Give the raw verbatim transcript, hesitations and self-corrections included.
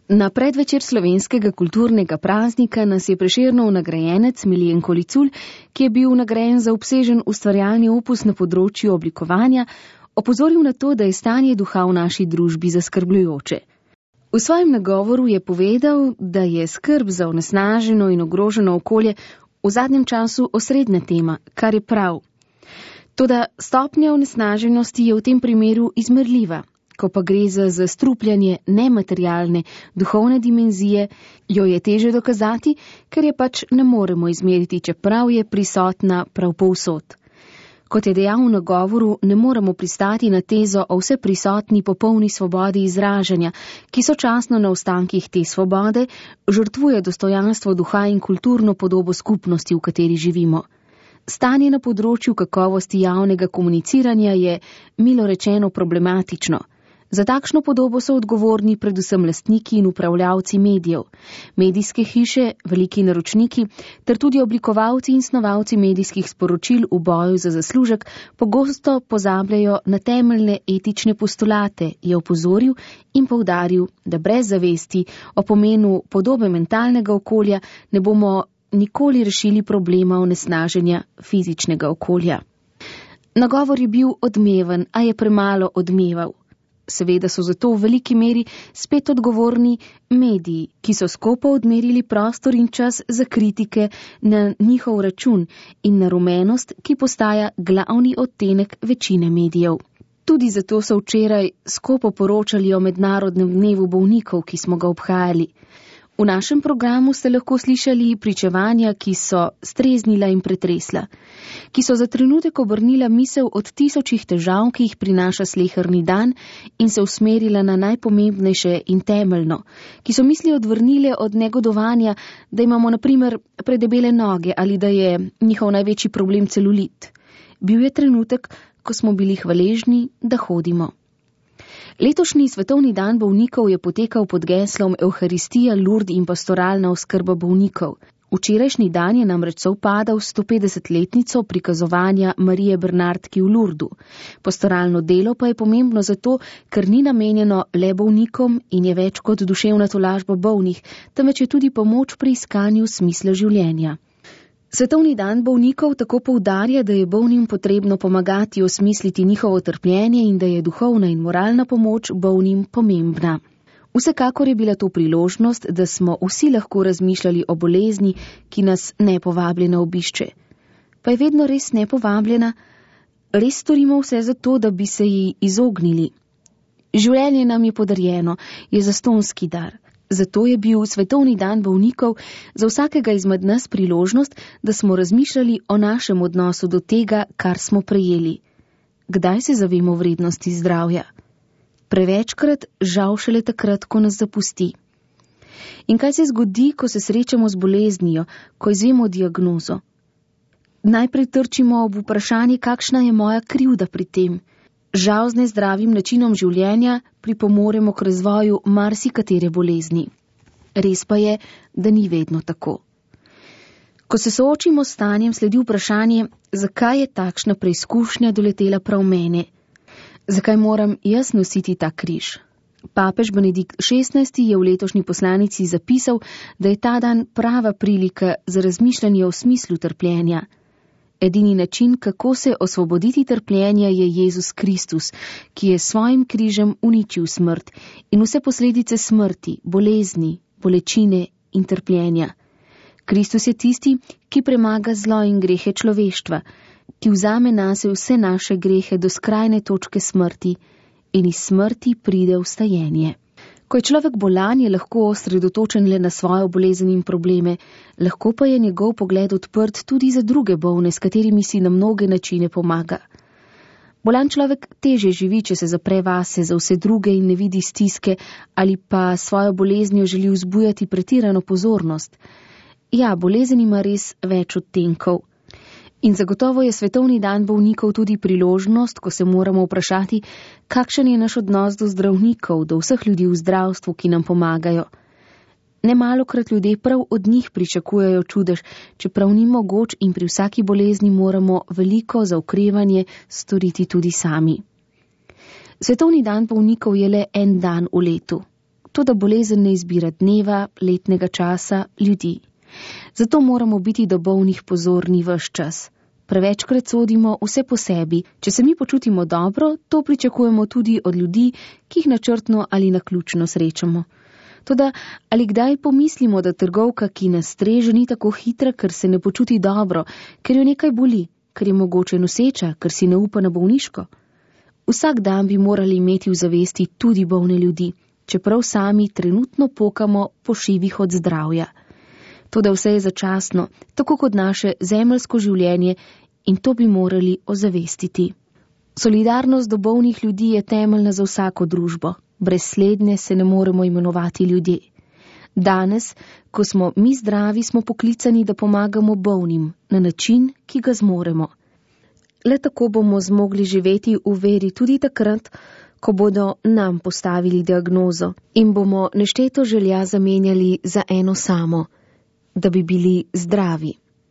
Na predvečer slovenskega kulturnega praznika nas je Prešernov nagrajenec Miljen Kolicul, ki je bil nagrajen za obsežen ustvarjalni opus na področju oblikovanja, opozoril na to, da je stanje duha v naši družbi zaskrbljujoče. V svojem nagovoru je povedal, da je skrb za onesnaženo in ogroženo okolje v zadnjem času osrednja tema, kar je prav. Toda stopnja onesnaženosti je v tem primeru izmerljiva. Ko pa gre za zastrupljanje nematerialne, duhovne dimenzije, jo je teže dokazati, ker je pač ne moremo izmeriti, čeprav je prisotna prav povsod. Kot je dejal v nagovoru, ne moremo pristati na tezo o vseprisotni popolni svobodi izražanja, ki sočasno na ostankih te svobode žrtvuje dostojanstvo duha in kulturno podobo skupnosti, v kateri živimo. Stanje na področju kakovosti javnega komuniciranja je, milo rečeno, problematično. Za takšno podobo so odgovorni predvsem lastniki in upravljavci medijev, medijske hiše, veliki naročniki ter tudi oblikovalci in snovalci medijskih sporočil v boju za zaslužek pogosto pozabljajo na temeljne etične postulate, je opozoril in poudaril, da brez zavesti o pomenu podobe mentalnega okolja ne bomo nikoli rešili problema onesnaženja fizičnega okolja. Nagovor je bil odmeven, a je premalo odmeval. Seveda so zato v veliki meri spet odgovorni mediji, ki so skopo odmerili prostor in čas za kritike na njihov račun in na rumenost, ki postaja glavni odtenek večine medijev. Tudi zato so včeraj skopo poročali o mednarodnem dnevu bolnikov, ki smo ga obhajali. V našem programu ste lahko slišali pričevanja, ki so streznila in pretresla, ki so za trenutek obrnila misel od tisočih težav, ki jih prinaša sleherni dan in se usmerila na najpomembnejše in temeljno, ki so misli odvrnile od negodovanja, da imamo na primer predebele noge ali da je njihov največji problem celulit. Bil je trenutek, ko smo bili hvaležni, da hodimo. Letošnji svetovni dan bolnikov je potekal pod geslom Evharistija, Lurd in pastoralna oskrba bolnikov. Včerajšnji dan je namreč sovpadal s stopedesetletnico prikazovanja Marije Bernardki v Lurdu. Pastoralno delo pa je pomembno zato, ker ni namenjeno le bolnikom in je več kot duševna tolažba bolnih, temveč je tudi pomoč pri iskanju smisla življenja. Svetovni dan bolnikov tako poudarja, da je bolnim potrebno pomagati osmisliti njihovo trpljenje in da je duhovna in moralna pomoč bolnim pomembna. Vsekakor je bila to priložnost, da smo vsi lahko razmišljali o bolezni, ki nas nepovabljena obišče. Pa je vedno res nepovabljena, res storimo vse za to, da bi se ji izognili. Življenje nam je podarjeno, je zastonski dar. Zato je bil svetovni dan bolnikov za vsakega izmed nas priložnost, da smo razmišljali o našem odnosu do tega, kar smo prejeli. Kdaj se zavemo vrednosti zdravja? Prevečkrat, žal šele takrat, ko nas zapusti. In kaj se zgodi, ko se srečamo z boleznijo, ko izvemo diagnozo? Najprej trčimo ob vprašanje, kakšna je moja krivda pri tem. Žal z nezdravim načinom življenja pripomoremo k razvoju marsikatere bolezni. Res pa je, da ni vedno tako. Ko se soočimo s stanjem, sledi vprašanje, zakaj je takšna preizkušnja doletela prav mene? Zakaj moram jaz nositi ta križ? Papež Benedikt šestnajsti je v letošnji poslanici zapisal, da je ta dan prava prilika za razmišljanje o smislu trpljenja. Edini način, kako se osvoboditi trpljenja, je Jezus Kristus, ki je svojim križem uničil smrt in vse posledice smrti, bolezni, bolečine in trpljenja. Kristus je tisti, ki premaga zlo in grehe človeštva, ki vzame nase vse naše grehe do skrajne točke smrti in iz smrti pride vstajenje. Ko je človek bolan, je lahko osredotočen le na svojo bolezen in probleme, lahko pa je njegov pogled odprt tudi za druge bolne, s katerimi si na mnoge načine pomaga. Bolan človek teže živi, če se zapre vase za vse druge in ne vidi stiske ali pa svojo boleznijo želi vzbujati pretirano pozornost. Ja, bolezen ima res več odtenkov. In zagotovo je svetovni dan bolnikov tudi priložnost, ko se moramo vprašati, kakšen je naš odnos do zdravnikov, do vseh ljudi v zdravstvu, ki nam pomagajo. Nemalokrat ljudje prav od njih pričakujejo čudež, čeprav ni mogoč in pri vsaki bolezni moramo veliko za okrevanje storiti tudi sami. Svetovni dan bolnikov je le en dan v letu. toda bolezen ne izbira dneva, letnega časa, ljudi. Zato moramo biti do bolnih pozorni ves čas. Prevečkrat sodimo vse po sebi. Če se mi počutimo dobro, to pričakujemo tudi od ljudi, ki jih načrtno ali naključno srečamo. Toda ali kdaj pomislimo, da trgovka, ki nas streže, ni tako hitra, ker se ne počuti dobro, ker jo nekaj boli, ker je mogoče noseča, ker si ne upa na bolniško? Vsak dan bi morali imeti v zavesti tudi bolne ljudi, čeprav sami trenutno pokamo po šivih od zdravja. Toda vse je začasno, tako kot naše zemeljsko življenje, in to bi morali ozavestiti. Solidarnost do bolnih ljudi je temeljna za vsako družbo. Brez slednje se ne moremo imenovati ljudje. Danes, ko smo mi zdravi, smo poklicani, da pomagamo bolnim na način, ki ga zmoremo. Le tako bomo zmogli živeti v veri tudi takrat, ko bodo nam postavili diagnozo in bomo nešteto želja zamenjali za eno samo, da bi bili zdravi.